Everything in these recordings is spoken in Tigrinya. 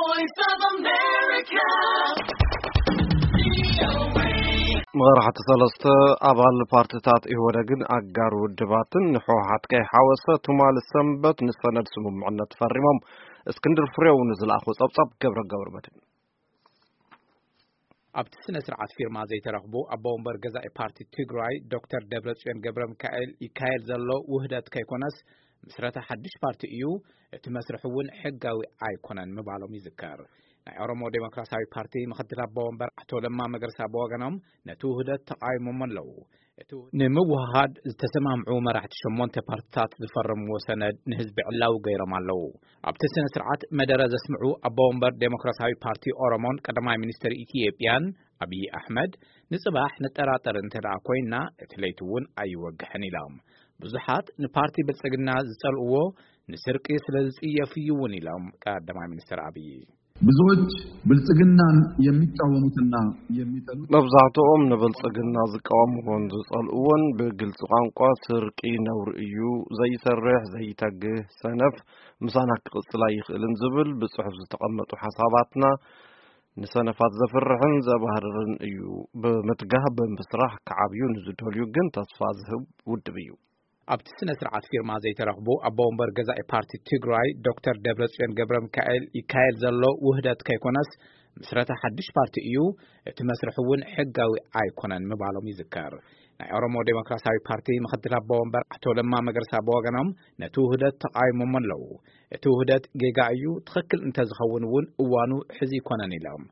Voice of America. መራሕቲ ሰለስተ ኣባል ፓርትታት ኢህወደግን ኣጋር ውድባትን ንሕወሓት ከይሓወሰ ትማሊ ሰንበት ንሰነድ ስምምዕነት ፈሪሞም። እስክንድር ፍሬው ንዝለኣኾ ጸብጻብ ገብረ ገብረ መድህን። ኣብቲ ስነ ስርዓት ፊርማ ዘይተረኽቡ ኣቦ ወንበር ገዛኢ ፓርቲ ትግራይ ዶክተር ደብረጽዮን ገብረ ሚካኤል፣ ይካየድ ዘሎ ውህደት ከይኮነስ ምስረታ ሓድሽ ፓርቲ እዩ፣ እቲ መስርሕ እውን ሕጋዊ ኣይኮነን ምባሎም ይዝከር። ናይ ኦሮሞ ዴሞክራሲያዊ ፓርቲ ምክትል ኣቦ ወንበር ኣቶ ለማ መገርሳ ብወገኖም ነቲ ውህደት ተቃይሞሞ ኣለዉ። እቲ ውህደት ንምውህሃድ ዝተሰማምዑ መራሕቲ ሸሞንተ ፓርትታት ዝፈረምዎ ሰነድ ንህዝቢ ዕላዊ ገይሮም ኣለዉ። ኣብቲ ስነ ስርዓት መደረ ዘስምዑ ኣቦ ወንበር ዴሞክራሲያዊ ፓርቲ ኦሮሞን ቀዳማይ ሚኒስትር ኢትዮጵያን ኣብይ ኣሕመድ፣ ንጽባሕ ንጠራጠር እንተ ደኣ ኮይንና እቲ ለይቲ እውን ኣይወግሕን ኢሎም። ብዙሓት ንፓርቲ ብልጽግና ዝጸልእዎ ንስርቂ ስለ ዝጽየፍ እዩ እውን ኢሎም ቀዳማይ ሚኒስትር ኣብይ። ብዙዎች ብልጽግናን የሚቃወሙትና የሚጠሉት መብዛሕትኦም ንብልጽግና ዝቃወምዎን ዝጸልእዎን ብግልጺ ቋንቋ ስርቂ ነውሪ እዩ፣ ዘይሰርሕ ዘይተግህ ሰነፍ ምሳና ክቕጽል ኣይኽእልን ዝብል ብጽሑፍ ዝተቐመጡ ሓሳባትና ንሰነፋት ዘፍርሕን ዘባህርርን እዩ። ብምትጋህ ብምስራሕ ክዓብዩ ንዝደልዩ ግን ተስፋ ዝህብ ውድብ እዩ። ኣብቲ ስነ ስርዓት ፊርማ ዘይተረኽቡ ኣቦ ወንበር ገዛኢ ፓርቲ ትግራይ ዶክተር ደብረጽዮን ገብረ ሚካኤል፣ ይካየድ ዘሎ ውህደት ከይኮነስ ምስረታ ሓድሽ ፓርቲ እዩ፣ እቲ መስርሕ እውን ሕጋዊ ኣይኮነን ምባሎም ይዝከር። ናይ ኦሮሞ ዴሞክራሲያዊ ፓርቲ ምክትል ኣቦ ወንበር ኣቶ ለማ መገርሳ ብወገኖም ነቲ ውህደት ተቃይሞሞ ኣለዉ። እቲ ውህደት ጌጋ እዩ፣ ትኽክል እንተዝኸውን እውን እዋኑ ሕዚ ይኮነን ኢሎም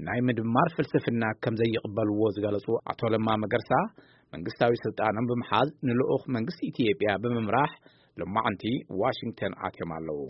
ናይ ምድማር ፍልስፍና ከም ዘይቕበልዎ ዝገለጹ ኣቶ ለማ መገርሳ፣ መንግስታዊ ስልጣኖም ብምሓዝ ንልኡኽ መንግስቲ ኢትዮጵያ ብምምራሕ ሎማዕንቲ ዋሽንግተን ኣትዮም ኣለዉ።